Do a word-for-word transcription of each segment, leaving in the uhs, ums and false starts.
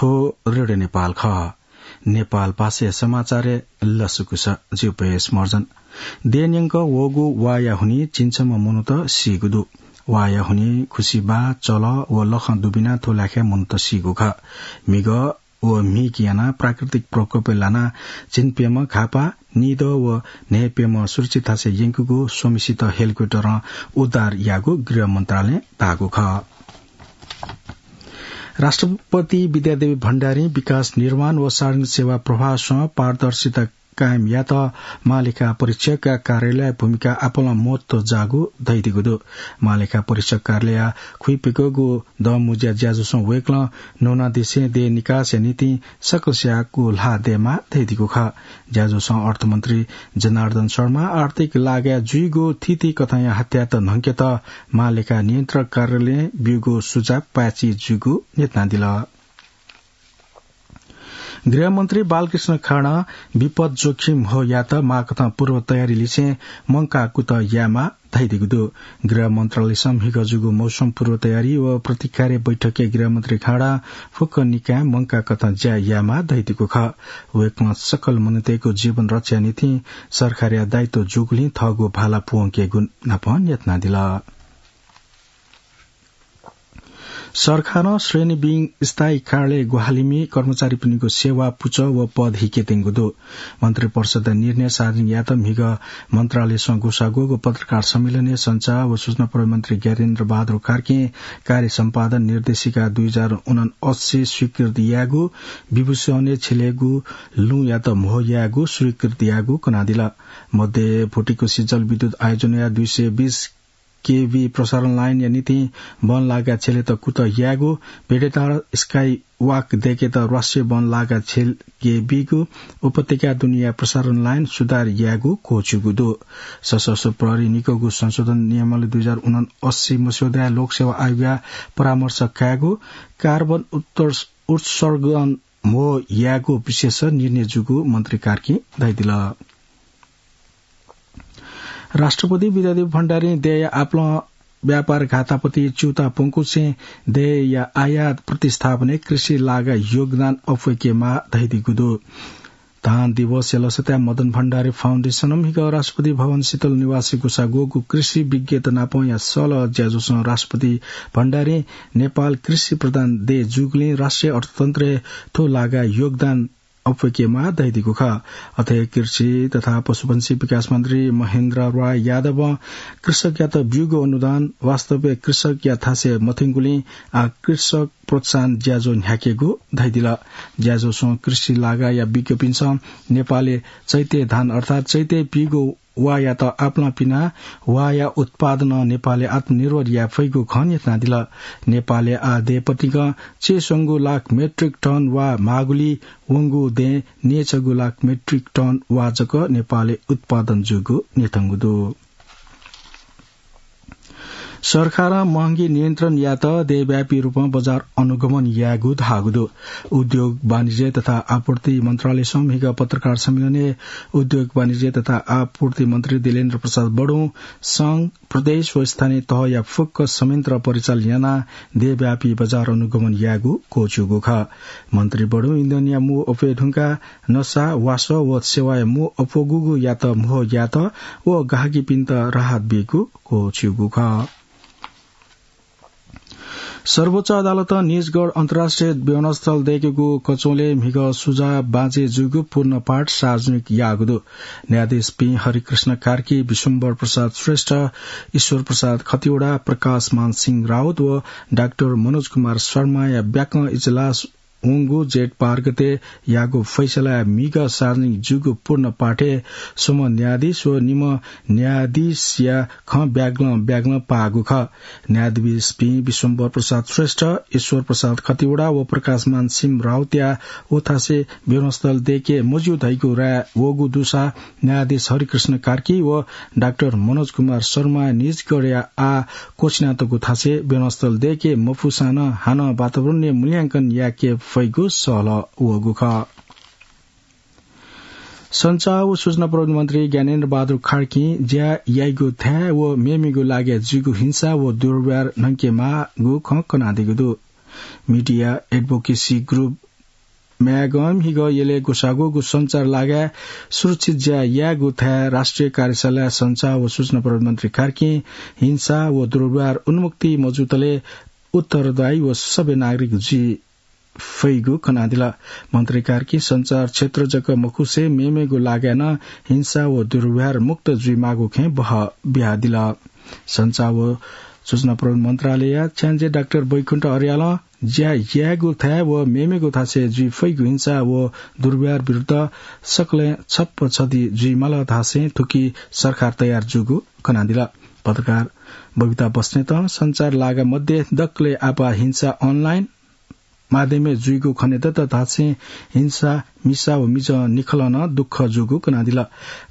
थ्व रेडियो नेपाल खः। नेपाल भाषाया समाचारय् लसकुस। जिगु पयस महर्जन। देय् न्यंक वःगु वाया हुनिं झिंछम्ह मनूत सीगु दु। वाया हुनिं खुसि बाः, चलः व लखं दुबिनाः थ्व लाखाय् मनूत सीगु खः। म्हिगः व म्हिगः यानाः प्राकृतिक प्रकोपय् लानाः झिंप्यम्ह घाःपाः, निदँ व न्हय्प्यम्ह सुरक्षित थासय् यंकूगु स्वम्हेसित हेलिकप्टरं उद्धार याःगु गृह मन्त्रालयं धाःगु खः। राष्ट्रपति विद्यादेवी भण्डारीं विकास निर्माण व सार्वजनिक सेवा प्रभावसं पारदर्शिता कायम यायेत महालेखा परीक्षकया कार्यालयया भूमिका आपालं महत्व जाःगु धयादीगु दु। महालेखा परीक्षक कार्यालयया खुइपिकःगु दँमुँज्या ज्याझ्वलय् वय्कलं न्हून्हूदँय् देय् निकासया निंतिं सकलसियागु ल्हाः दयेमाः धयादीगु खः। ज्याझ्वलय् अर्थमन्त्री जनार्दन शर्मां आर्थिक लागाय् जुइगु थीथी कथंया हत्यात न्हंकेत महालेखा नियन्त्रक कार्यालयं ब्यूगु सुझाव पाय्छि जूगु न्ह्यथनादिल। गृहमन्त्री बालकृष्ण खाँडं विपद जोखिम म्हो यायेत माःकथं पूर्व तयारी लिसें मंकाः कुतः यायेमाः धयादीगु दु। गृह मन्त्रालयसं म्हिगः जूगु मौसम पूर्व तयारी व प्रतिक्रिया बैठकय् गृहमन्त्री खाँडं फुक्क निकायं मंकाः कथं ज्या यायेमाः धयादीगु खः। वय्कलं सकल मनूतय्गु जीवन रक्षाया निंतिं सरकारया दायित्व जूगुलिं थःगु भाला पूवंकेगु नापं न्ह्यथनादिल। सरकारं श्रेणीविहीन स्थायी कार्यालय ग्वाहालिमि कर्मचारीपिनिगु सेवा पुचः व पद हिकेत्यंगु दु। मन्त्रिपरिषदया निर्णय सार्वजनिक यायेत म्हिगः मन्त्रालयसं ग्वसाः ग्वःगु पत्रकार सम्मेलनय् सञ्चार व सूचना प्रविधि मन्त्री ज्ञानेन्द्र बहादुर कार्कीं कार्य सम्पादन निर्देशिका दुई हजार उनासी स्वीकृत यायेगु, विभूषणय् छ्यलेगु लुँयात म्हो यायेगु स्वीकृत यायेगु कनादिल। मध्ये भुटिकुसी जलविद्युत आयोजनया दुई सय बीस केभी प्रसारण लाइनया निंतिं बनलागा छ्यलेत कुतः यायेगु, भेडेटार स्काई वाक दय्केत राष्ट्रिय बनलागा छ्यले बीगु, उपत्यका दुनेया प्रसारण लाइन सुधार यायेगु क्वःछिउगु दु। सशस्त्र प्रहरी निकायगु संशोधन नियमावली दुई हजार उनासी मस्यौदाय् लोकसेवा आयोगया परामर्श कायेगु, कार्बन उत्तर-, उत्सर्जन म्हो यायेगु विषयय् निर्णय जूगु मन्त्री कार्कीं धयादिल। राष्ट्रपति विद्यादेवी भण्डारीं देय्या आपालं व्यापार घातापति च्यूताः प्वंकुसें देय्या आयात प्रतिस्थापनय् कृषि लागा योगदान अप्वय्केमाः धयादीगु दु। धान दिवसया लसताय् मदन भण्डारी फाउन्डेसनं म्हिगः राष्ट्रपति भवन शीतल निवासय् ग्वसाः ग्वःगु कृषि विज्ञत नापंया सलह ज्याझ्वलय् राष्ट्रपति भण्डारीं नेपाल कृषि प्रधान देय् जूगुलिं राष्ट्रिय अर्थतन्त्रय् थ्व लागा योगदान अप्वय्केमाः धयादीगु खः। अथे कृषि तथा पशुपन्छी विकास मन्त्री महेन्द्र राय यादवं कृषकयात ब्यूगु अनुदान वास्तवय् कृषकया थासय् मथंगुलिं आः कृषक प्रोत्साहन ज्याझ्वः न्ह्याकेगु धयादिल। ज्याझ्वलय् कृषि लागाया विज्ञपिन्सं नेपालय् चैते धान अर्थात् चैते पीगु वाःयात आपालं पिनाः वाःया उत्पादनं नेपालय् आत्मनिर्भर याये फइगु खँ न्ह्यथनादिल। नेपालय् आः देय् पतिकं चय्स्वंगू लाख मेट्रिक टन वाः माःगुलिं वंगू देय् न्यय्छगू लाख मेट्रिक टन वाः जक नेपालय् उत्पादन जूगु न्ह्यथंगु दु। सरकारं महंगी नियन्त्रण यायेत देय्व्यापी रूपं बजार अनुगमन यायेगु धाःगु दु। उद्योग वाणिज्य तथा आपूर्ति मन्त्रालयसं म्हिगः पत्रकार सम्मेलनय् उद्योग वाणिज्य तथा आपूर्ति मन्त्री दिलेन्द्र प्रसाद बडुं संघ, प्रदेश व स्थानीय तहया फुक्क संयन्त्र परिचालन यानाः देय्व्यापी बजार अनुगमन यायेगु क्वःछिउगु खः। मन्त्री बडुं इन्धनया म्हो अप्वये धुंकाः नसा, वासः व सेवाया म्हो अप्वःगुयात म्हो यायेत व गाहकीपिन्त राहत बीगु क्वःछिउगु खः। सर्वोच्च अदालतं निजगढ अन्तर्राष्ट्रिय विमानस्थल दय्केगु कचवलय् म्हिगः सुझाव बाँचे जूगु पूर्ण पाठ सार्वजनिक याःगु दु। न्यायाधीश पी हरिकृष्ण कार्की, विश्वम्भर प्रसाद श्रेष्ठ, ईश्वर प्रसाद खतिवडा, प्रकाशमान सिंह राउत व डाक्टर मनोज कुमार शर्माया ब्याकं इजलास वंगु जेठ बाह्र गते याःगु फैसलाया म्हिगः सार्वजनिक जूगु पूर्ण पाठय् स्वम्ह न्यायाधीश व निम्ह न्यायाधीशया खँ ब्यागलं ब्यागलं पाःगु खः। न्यायाधीश पी विश्वम्भर प्रसाद श्रेष्ठ, ईश्वर प्रसाद खतिवडा व प्रकाशमान सिंह राउतया उथासय् विमानस्थल दय्के मज्यू धइगु राय वःगु दुसा न्यायाधीश हरिकृष्ण कार्की व डाक्टर मनोज कुमार शर्मा निजगढया आः क्वःछिनातःगु थासय् विमानस्थल दय्के मफुसां नं हानं वातावरणीय मूल्यांकन याके फइगु सहलह वःगु खः। सञ्चार व सूचना प्रविधि मन्त्री ज्ञानेन्द्र बहादुर कार्कीं ज्या याइगु थाय् व मेमेगु लागिं जुइगु हिंसा व दुर्व्यवहार न्हंकेमाःगु खँ कनादीगु दु। मिडिया एडभोकेसी ग्रुप म्यागं म्हिगः यलय् ग्वसाः ग्वःगु सञ्चार लागाय् सुरक्षित ज्या यायेगु थाय् राष्ट्रिय कार्यशालाय् सञ्चार व सूचना प्रविधि मन्त्री कार्कीं हिंसा व दुर्व्यवहार उन्मुक्ति मजुतले उत्तरदायी व सभ्य नागरिक जुइ फइगु कनादिल। मन्त्री कार्कीं सञ्चार क्षेत्र जक मखुसे मेमेगु लागाय् नं हिंसा व दुर्व्यवहार मुक्त जुइमाःगु खँय् बहः बियादिल। सञ्चार व सूचना प्रविधि मन्त्रालयया छ्याञ्जे डाक्टर बैकुण्ठ अर्यालं ज्या यायेगु थाय् व मेमेगु थासय् जुइ फइगु हिंसा व दुर्व्यवहार विरुद्ध सकलें छप्पछति जुइमाल धासें थुकी सरकार तयार जूगु कनादिल। पत्रकार बबिता बस्नेतं सञ्चार लागा मध्ये दकले आपाः हिंसा online माध्यमय् जुइगु खनेदत धासें हिंसा, मिसा व मिजं निखलं नं दुःख जूगु कनादिल।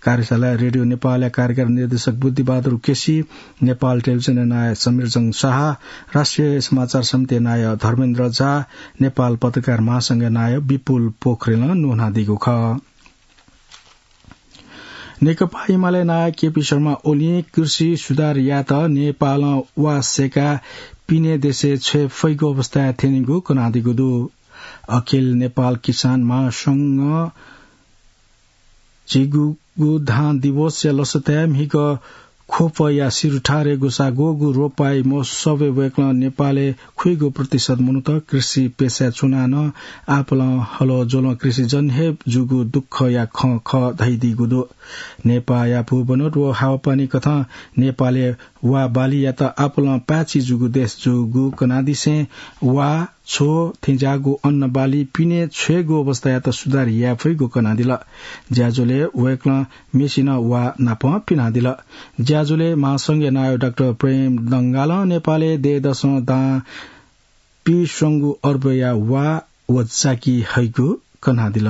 कार्यशालाय् रेडियो नेपालया कार्यकारी निर्देशक बुद्धिबहादुर केसी, नेपाल टेलिभिजनया नायः समीरजंग शाह, राष्ट्रिय समाचार समितिया नायः धर्मेन्द्र झा, नेपाल पत्रकार महासंघया नायः विपुल पोखरेलं न्वनादीगु खः। नेकपा एमाले नायः केपी शर्मा ओलीं कृषि सुधार यायेत नेपालं वा सय्काः पिने देशय् छ्वये फइगु अवस्थाय् थ्यनीगु कनादीगु दु। अखिल नेपाल किसान महासंघं झिगूगु धान दिवसया लसताय् म्हिगः ख्वपया सिरुठारय् ग्वसाः ग्वःगु रोपाइँ महोत्सवय् वय्कलं नेपालय् खुइगू प्रतिशत मनूत कृषि पेसाय् च्वनाः नं आपालं हलज्वलं कृषिजन्य हे जूगु दुःखया खँ खः धयादीगु दु। नेपाःया भूबनोट व हावापानी कथं नेपालय् वा बालीयात आपालं पाय्छि जूगु देश जूगु कनादिसें वा, छ्व थेंज्याःगु अन्न बाली पिने छ्वयेगु अवस्थायात सुधार याये फइगु कनादिल। ज्याझ्वलय् वय्कलं मेसिनं वा नापं पिनादिल। ज्याझ्वलय् महासंघया नायः डाक्टर प्रेम डंगालं नेपालय् दँय्‌दसं दां पीस्वंगू अर्बया वा व जाकि हइगु कनादिल।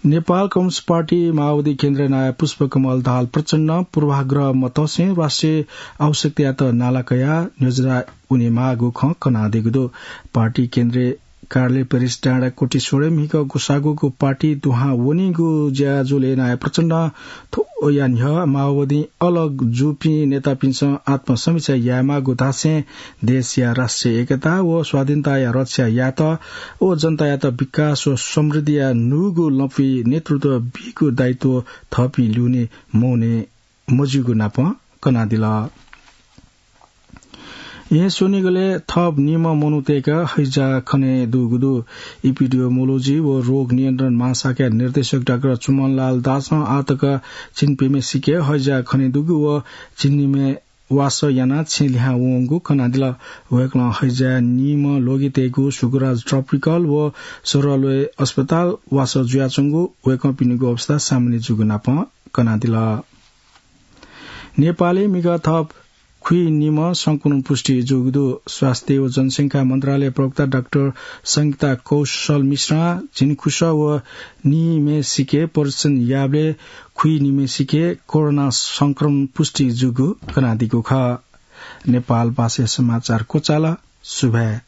नेपाल कम्युनिस्ट पार्टी माओवादी केन्द्रया नायः पुष्पकमल दाहाल प्रचण्डं पूर्वाग्रह मतसें राष्ट्रिय आवश्यकतायात नाला कयाः न्ह्यज्वरा वनेमाःगु खँ कनादीगु दु। पार्टी केन्द्रीय कार्यालय पेरिस डाँडा कोटेश्वरय् म्हिगः ग्वसाः ग्वःगु पार्टी दुहां वनीगु ज्याझ्वलय् नायः प्रचण्डं थ्वया न्ह्यः माओवादीं अलग जूपिं नेतापिन्सं आत्मसमीक्षा यायेमाःगु धासें देशया राष्ट्रिय एकता व स्वाधीनताया रक्षा यायेत व जनतायात विकास व समृद्धिया न्हूगु लँपुइ नेतृत्व बीगु दायित्व थःपिं ल्यूने मवने मज्यूगु नापं कनादिल। येँ स्वनिगलय् थप निम्ह मनूतय्‌के हैजा खने दुगु दु। इपिडियोमोलोजी व रोग नियन्त्रण महाशाखाया निर्देशक डाक्टर चुमनलाल दासं आःतक झिंप्यम्हेसिके हैजा खने दुगु व झिंनिम्हे वासः यानाः छेँ लिहां वंगु कनादिल। वय्‌कलं हैजाय् निम्ह ल्वगितय्‌गु सुगुराज ट्रपिकल व सरलय् अस्पताल वासः जुयाच्वंगु, वय्‌कःपिनिगु अवस्था सामान्य जूगु नापं कनादिल। नेपालय् म्हिगः थप खुइनिम्ह संक्रमण पुष्टि जूगु दु। स्वास्थ्य व जनसंख्या मन्त्रालय प्रवक्ता डाक्टर संगीता कौशल मिश्रं झिंखुसः व निम्हेसिके परीक्षण याःबलय् खुइनिम्हेसिके कोरोना संक्रमण पुष्टि जूगु कनादीगु खः। नेपाल भाषाय् समाचार क्वचाल। सुभाय्।